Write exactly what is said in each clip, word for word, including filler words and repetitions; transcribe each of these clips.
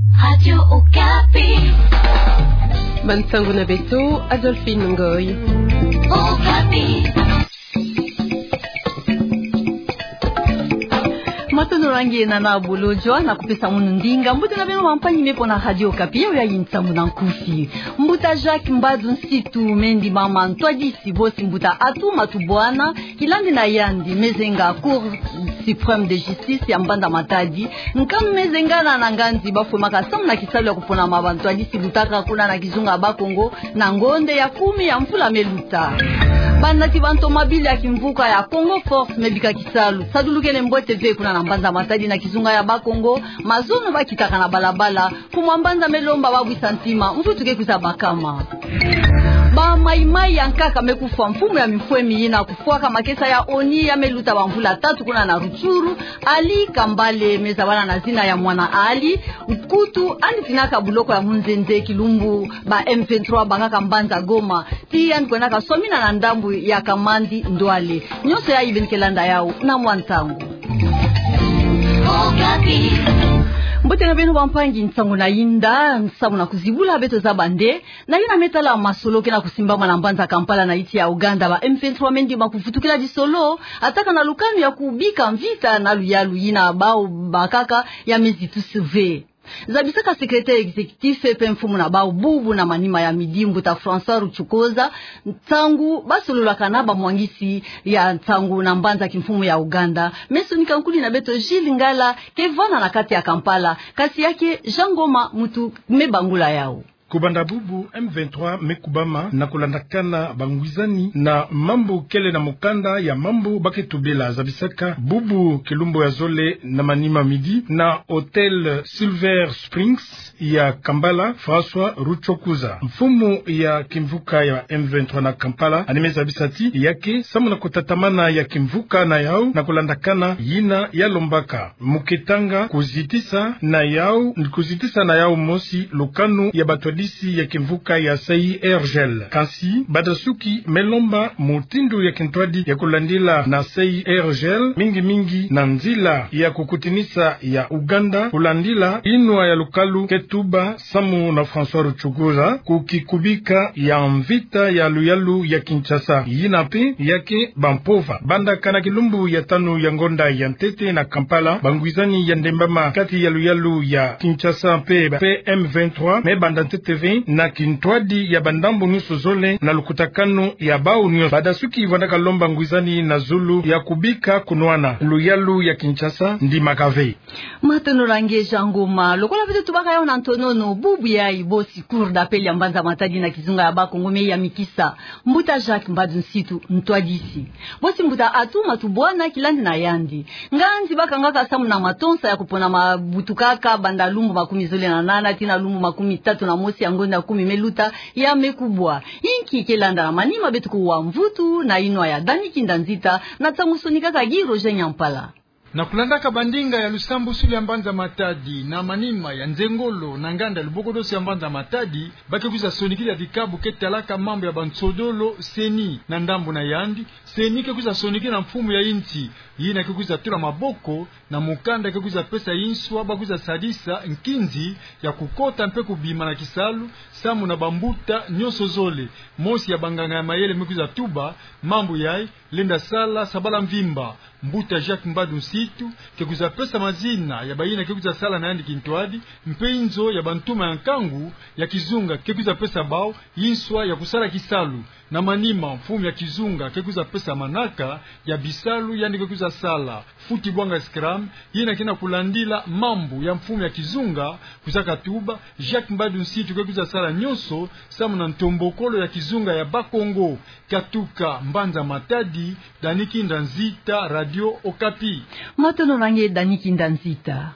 Radio Okapi. Bansango na beto, Adolphine Ngoy. Okapi. Matondo na nge, nana Bolodjwa, na kupesa munu ndinga. Mbote na beno bampangi me pona Radio Okapi, yayi nsango na nkufi. Mbuta Jacques Mbadu Nsitu me ndimama ntwadisi, bosi mbuta Atou Matubuana, kilandi na yandi, mezenga Cour suprême de justice ya mbanza Matadi, nkanu mezengana na nganzi bafwemaka samu na kisalu ya kupona ma bantwadisi lutaka kuna na kizunga ya Bakongo, na ngonde ya kumi ya mvula meluta. Banati ba ntomabili ya kimvuka ya Congo Force mebika kisalu, sadulukene mbote ve kuna na mbanza Matadi na kizunga ya Bakongo, mazono bakitaka na balabala, mfumu ya mbanza melomba babwisa ntima, mvutu ke kwiza bakama. Ba Maï-Maï ya nkaka mekufwa, mfumu ya mimfwemi yina kufwaka makesa ya ONU ya meluta bamvula tatu kuna na Rutshuru, Ali Kambale, mezabana na zina ya mwana Ali, nkutu yandi tinaka buloko ya munzenze kilumbu ba M vingt-trois bangaka mbanza Goma, ti yandi kwendaka swamina na ndambu ya Kamandi Ndwale. Nyonso yayi beno ke landa yawu na mwa ntangu. Mbote na beno bampangi, nsangu na yinda, nsangu na kuzibula, beto zaba nde na yina me tala masolo ke na kusimbama na mbanza Kampala na insi ya Ouganda. Ba M vingt-trois me ndima kuvutukila disolo, ataka na lukanu ya kubika mvita na luyalu yina bawu bakaka ya mezi tusu ve. Zabisaka secrétaire exécutif pe mfumu na bawu bubu na manima ya midi, mbuta François Rucokoza, nsangu basololaka na bamwangisi ya nsangu na mbanza kimfumu ya Ouganda. Me sonika nkudi na beto Gilles Ngala, ke vanda na kati ya Kampala, kasi ya ke Jean Ngoma muntu me bangula yawu. Kubanda bubu, M vingt-trois me kubama na kulandakana bangwizani na mambu kele na mukanda ya mambu ba ke tubela. Zabisaka bubu kilumbu ya zole na manima midi na hôtel Silver Springs ya Kampala, François Rucokoza, mfumu ya kimvuka ya M vingt-trois na Kampala, yandi me zabisa ti ya ke samu na kutatamana ya kimvuka na yawu na kulandakana yina ya lombaka mu ke tanga kuzitisa na yawu, kuzitisa na yawu mosi lukanu ya batwadisi ya kimvuka ya C I R G L. Kansi, badasuki me lomba mutindu ya kintwadi ya kulandila na C I R G L, mingi mingi na nzila ya kukutinisa ya Ouganda, kulandila inwa ya lukalu ke tuba samu na François Rucokoza ku kikubika ya mvita ya luyalu ya Kinshasa. Yina pe ya ke bampova. Bandaka na kilumbu ya tanu ya ngonda ya ntete na Kampala, bangwizani ya ndembama kati ya luyalu ya Kinshasa pe ba M vingt-trois me banda ntete ve na kintwadi ya bandambu nyonso zole na lukutakanu ya bawu nyonso. Badasuki vandaka lomba ngwizani na zulu ya kubika kunwana. Luyalu ya Kinshasa ndimaka ve. Matondo na nge Jean Ngoma. Lokola beto tubaka yawu na ntonono, bubu yayi bosi Cour d'appel ya mbanza Matadi na kizunga ya Bakongo me yamikisa mbuta Jacques Mbadu Nsitu ntwadisi, bosi mbuta Atou Matubuana kilandi na yandi. Nganzi bakangaka samu na matonsa ya kupona mabutukaka banda lumbu makumi zole na nana tii na lumbu makumi tatu na mosi ya ngonda kumi meluta ya me kubwa. Inki ke landa na manima? Beto kuwa mvutu na inwa ya Dany Kinda Nzita na nsangu sonikaka Guy Roger Nyampala. Na kulandaka bandinga ya lusambusulu ya mbanza Matadi, na manima ya nzengolo na nganda lubokodosi ya mbanza Matadi, ba ke kwiza sonikila dikabu ke talaka mambu ya bansodolo, CENI, na ndambu na yandi, CENI ke kwiza sonikila mfumu ya insi, yina ke kwiza tula maboko na mukanda ke kwiza pesa inswa ba kwiza sadisa nkinzi ya kukota mpe kubima na kisalu, samu na bambuta nyonso zole. Mosi ya banganga ya mayele me kwiza tuba, mambu yayi lenda sala sabala mvimba. Mbuta Jacques Mbadu Nsitu ke kwiza pesa mazina ya bayina ke kwiza sala na yandi kintwadi, mpe inzo ya bantuma ya nkangu ya kizunga ke kwiza pesa bawu inswa ya kusala kisalu. Na manima, mfumu ya kizunga ke kwiza pesa manaka ya bisalu yandi ke kwiza sala. Futi Bwanga Scram, yina ke na kulandila mambu ya mfumu ya kizunga, kwizaka tuba, Jacques Mbadu Nsitu ke kwiza sala nyonso samu na ntombokolo ya kizunga ya Bakongo. Katuka mbanza Matadi, Dany Kinda Nzita, Radio Okapi. Matondo na nge Dany Kinda Nzita.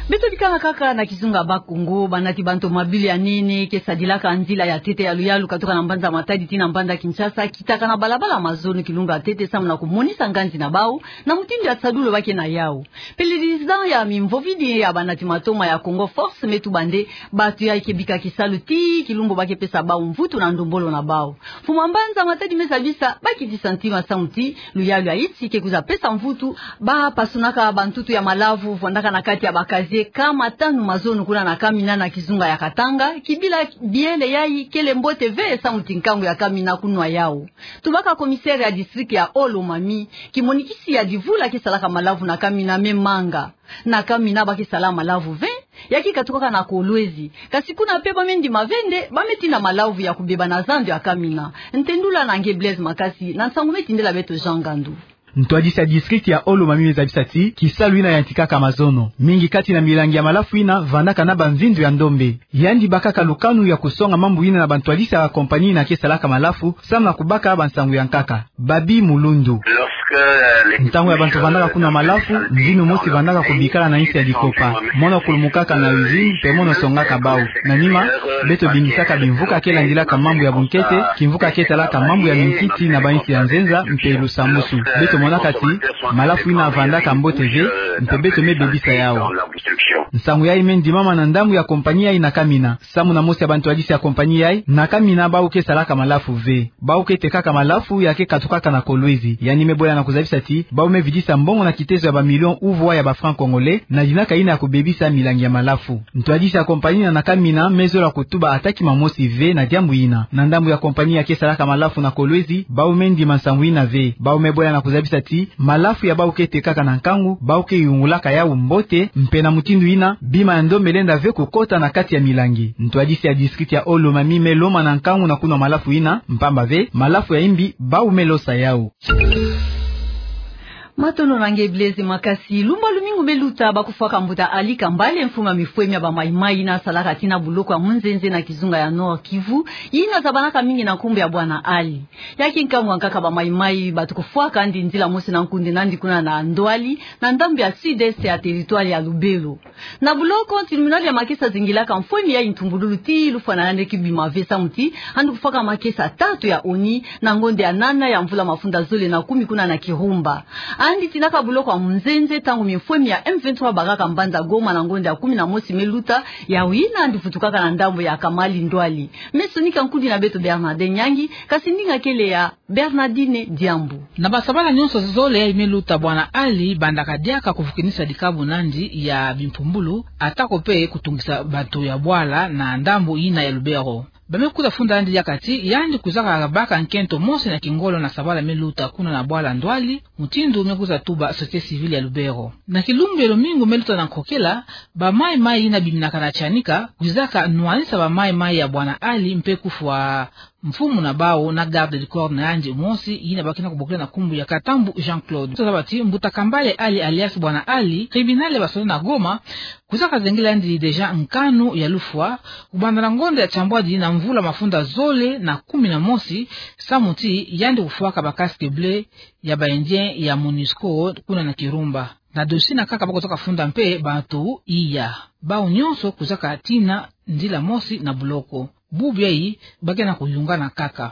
Beto bikanga kaka na kizunga Bakongo, banati ba ntomabili ya nene ke sadilaka nzila ya ntete ya luyalu katuka na mbanza Matadi tii na mbanza Kinshasa, kitaka na balabala mazono kilumbu ya ntete samu na kumonisa nganzi na bawu na mutindu ya nsadulu ba ke na yawu. Pelelizan ya mimvovidi ya banati matoma ya Congo Force me tuba nde bantu yayi ke bika kisalu tii kilumbu ba ke pesa bawu mvutu na ndombolo na bawu. Mfumu ya mbanza Matadi me zabisa ba kitisa ntima samu ti luyalu ya insi ke kwiza pesa mvutu, ba pasunaka bantutu ya malavu vandaka na kati ya ba casier Kama tanu mazono kuna na Kamina na kizunga ya Katanga, kibila biele yayi kele mbote ve samu ti nkangu ya Kamina kunwa yawu. Tubaka commissaire ya district ya Haut-Lomami, kimonikisi ya divula ke salaka malavu na Kamina me manga. Na Kamina ba ke sala malavu ve, ya ke katukaka na Kolwezi. Kasi kuna pe ba me ndima ve nde, ba me tina malavu ya kubeba na zando ya Kamina. Ntendula na nge Blaise Makasi, na nsangu me tindela beto Jean Ngandu. Ntwadisi ya district ya Haut-Lomami me zabisa ti, kisalu yina yantikaka mazono. Mingi kati na milangi ya malafu yina, vandaka na bamvindu ya ndombe. Yandi bakaka lukanu ya kusonga mambu yina na bantwadisi ya compagnie yina ke salaka malafu, samu na kubaka bansangu ya nkaka. Babi Mulundu. Ntangu ya bantu vandaka kunwa malafu, mvinu mosi vandaka kubikala na insi ya dikopa. Mono kulumukaka na usine, mpe mono songaka bawu. Na nima, beto bingisaka bimvuka ke landilaka mambu ya bunkete, kimvuka ke talaka mambu ya minkiti na bainsi ya nzenza, mpe lusambusu. Beto monaka ti, malafu yina vandaka mbote ve, mpe beto me bebisa yawu. Nsangu yayi me ndimama na ndambu ya compagnie yayi na Kamina. Samu na mosi ya bantwadisi ya compagnie yayi, na Kamina bawu ke salaka malafu ve. Bawu ke tekaka malafu ya ke katukaka na Kolwezi. Yandi me bwela na kuzabisa ti, bawu me vidisa mbongo na kitezo ya bamilio uvwa ya bafranc congolais, na dinaka yina ya kubebisa milangi ya malafu. Ntwadisi ya compagnie yina na Kamina me zola kutuba ata kima mosi ve na diambu yina. Na ndambu ya compagnie ya ke salaka malafu na Kolwezi, bawu me ndima nsangu yina ve. Bawu me bwela na kuzabisa ti, malafu ya bawu ke tekaka na nkangu, bawu ke yungulaka yawu mbote, mpe na mutindu yina, bima ya ndombe lenda ve kukota na kati ya milangi. Ntwadisi ya district ya Haut-Lomami me lomana nkangu na kunwa malafu yina, mpamba ve, malafu ya imbi, bawu me losa yawu. Matondo na nge Blaise Makasi. Lumbu ya lumingu me luta, ba kufwaka mbuta Ali Kambale, mfumu ya mifwemi ya ba Maï-Maï yina salaka tina buloko ya Munzenze na kizunga ya Nord-Kivu, yina zabanaka mingi na nkumbu ya Bwana Ali. Ya ke nkangu ya nkaka ba Maï-Maï batu kufwaka'andi nzila mosi na nkundi n'andi kuna na Ndwali, na ndambu ya sud-est ya territoire ya Lubero. Na buloko, tribunal ya makesa zingilaka mfwemi ya ntumbululu ti lufwa na yandi kibima ve samu ti, andi kufwaka makesa tatu ya ONU, na ngonde ya nana ya mvula mafunda zole na kumi kuna na Kirumba. Andi tinaka buloko ya Munzenze ntangu mifwemi ya M vingt-trois bakaka mbanza Goma na ngonde ya kumi na mosi me luta, yawu yina andi vutukaka na ndambu ya Kamali Ndwali. Me sonika nkundi na beto Bernardin Nyangi, kasi ndinga kele ya Bernardine Diambu. Na basabala nyonso zole yayi me luta, Bwana Ali bandaka diaka kuvukinisa dikabu n'andi ya bimpumbulu, atako pe kutungisa bato ya bwala na ndambu yina ya Lubero. Ba me kuta funda yandi diaka ti, yandi kwizaka baka nkento mosi na kingolo na sabala me luta kuna na bwala Ndwali, mutindu me kwiza tuba société civile ya Lubero. Na kilumbu ya lumingu me luta na nkokela, ba Maï-Maï yina biminaka na Tianika kwizaka nwanisa ba Maï-Maï ya Bwana Ali mpe kufwa mfumu na bawu na garde du corps na yandi mosi, yina ba ke na kubokila na nkumbu ya Katambu Jean-Claude. Tozaba ti mbuta Kambale Ali alias Bwana Ali, tribunal ya basoda na Goma kwizaka zengela yandi déjà nkanu ya lufwa, kubanda na ngonde ya tiambwadi na mvula mafunda zole na kumi na mosi, samu ti yandi kufwaka ba casque bleu ya ba Indiens ya MONUSCO kuna na Kirumba. Na dossier na nkaka ba kwizaka funda mpe bato iya. Bawu nyonso kwizaka tina nzila mosi na buloko. Bubu yayi ba ke na kuyungana nkaka.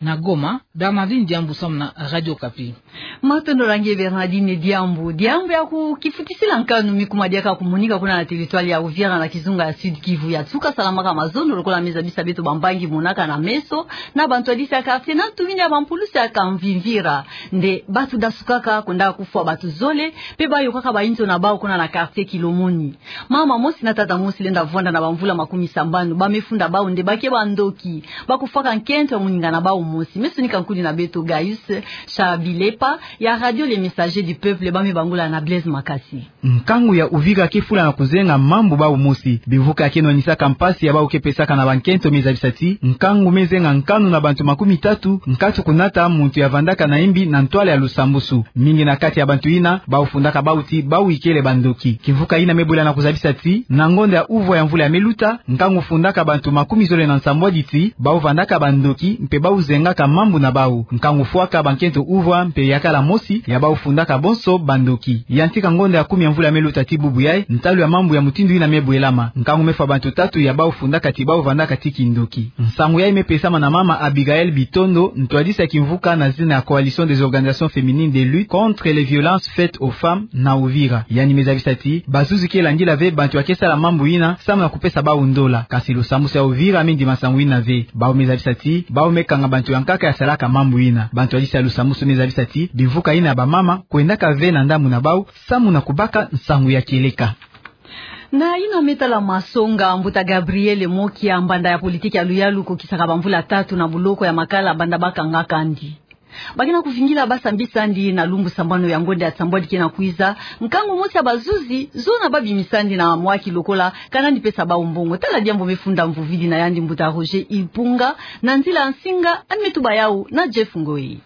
Na Goma, Bernardine Diambu samu na Radio Okapi. Matondo na nge Bernardine Diambu. Diambu ya ku-, kifutisila nkanu mi kuma diaka kumonika kuna na territoire ya Uvira na kizunga ya Sud-Kivu. Ya nsuka salamaka mazono lokola me zabisa beto bambangi monaka na meso, na bantwadisi ya quartier na tumini ya bampulusi ya Kamvimvira. Nde bato dasukaka, kwendaka kufwa bato zole, mpe bayokaka bayinzo na bawu kuna na quartier Kilomoni. Mama mosi na tata mosi lenda vwanda na bamvula makumi sambanu, ba me funda bawu nde ba ke bandoki, ba kufwaka nkento ya moninga na bawu mosi. Me sonika nkundi na beto Gaius Chabilepa ya Radio Le Messager du Peuple, ba me bangula na Blaise Makasi. Nkangu ya Uvira ke fula na kuzenga mambu bawu mosi. Bimvuka ya ke nwanisaka mpasi ya bawu ke pesaka na bankento me zabisa ti, nkangu me zenga nkanu na bantu makumi tatu, nkatu kunata muntu ya vandaka na imbi na ntwala ya lusambusu. Mingi na kati ya bantu yina, bawu fundaka bawu ti bawu ikele bandoki. Kimvuka yina me bwela na kuzabisa ti, na ngonde ya uvwa ya mvula ya me luta, nkangu fundaka bantu makumi zole na nsambwadi ti bawu vandaka bandoki, mpe bawu zengaka mambu na bawu. Nkangu fwaka bankento uvwa mpe yakala mosi ya bawu fundaka bonso bandoki. Yantika ngonde ya kumi ya mvula ya me luta ti bubu yayi, ntalu ya mambu ya mutindu yina me bwelama. Nkangu me fwa bantu tatu ya bawu fundaka ti bawu vandaka ti kindoki. Nsangu yayi me pesama na mama Abigaëlle Bitondo, ntwadisi ya kimvuka na zina ya Coalition des Organisations Féminines de Lutte contre les Violences Faites aux Femmes na Uvira. Yandi me zabisa ti, bazuzi ke landila ve bantu ya ke sala mambu yina, samu na kupesa bawu ndola. Kasi lusambusu ya Uvira me ndima nsangu yina ve. Bawu me zabisa ti, bawu me kanga bantu ya nkaka ya salaka mambu yina. Bantwadisi ya lusambusu me zabisa ti, bimvuka yina ya bamama kwendaka ve na ndambu na bawu, samu na kubaka nsangu ya kieleka. Na yina me tala masonga, mbuta Gabriel Mokia, mbanda ya politiki ya luyalu, kokisaka bamvula tatu na boloko ya Makala banda bakangaka ndi. Bakena kuvingila basambisa ndi na lumbu sambanu ya ngonda ya nsambwadi kena kwiza, nkangu mosi ya bazuzi zona babimisa ndi na mwaki lokola kana ndi pesa bau mbongo. Tala diambu me funda mvuvidi na yandi mbuta Roger Ipunga, na nzila ya nsinga, yandi me tuba yau na Jeff Ngoi.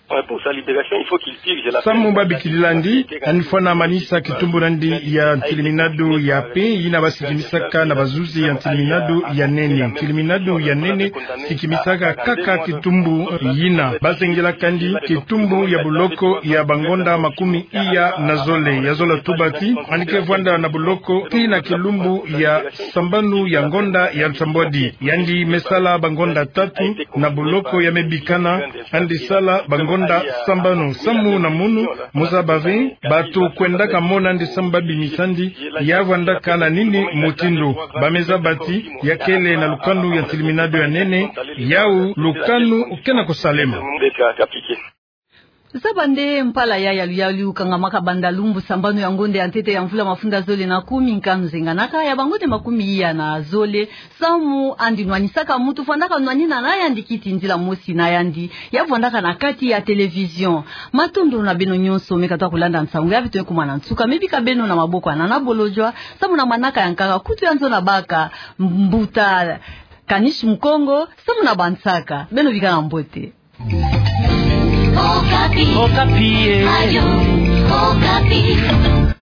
Samu babikilila ndi, yandi fwana manisa kitumbu na ndi ya ntiliminadu ya pe, yina basikimisaka na bazuzi ya ntiliminadu ya nene. Ntiliminadu ya nene sikimisaka kaka kitumbu yina. Bazengilaka ndi kitumbu ya boloko ya bangonda makumi iya na zole. Ya zola tuba ti yandi ke vwanda na boloko tii na kilumbu ya sambanu ya ngonda ya nsambwadi. Yandi me sala bangonda tatu na boloko ya me bikana, yandi sala bangonda sambanu. Samu na munu, mu zaba ve, bato kwendaka mona ndi samu babimisa ndi, ya vwandaka na nini mutindu. Ba me zaba ti ya kele na lukanu ya ntiliminadu ya nene, yau lukanu kena kusalema. Zaba nde mpala ya yalu yalu kangamaka banda lumbu sambanu ya ngonda ya ntete ya mvula mafunda zole na kumi, nkanu zenganaka ya bangonda makumi iya na zole. Samu yandi nwanisaka mutu, vwandaka nwanina na yandi kiti nzila mosi na yandi, ya vwandaka na kati ya télévision. Matondo na beno nyonso me katuka kulanda nsangu ya beto, ekumana nsuka, me bika beno na maboko ya Nana Bolodjwa, samu na manaka ya nkaka kutu ya nzo na baka, mbuta Kanish Mukongo, samu na bansaka. Beno bikana mbote. Okapi. Okapi, eh. Radio Okapi.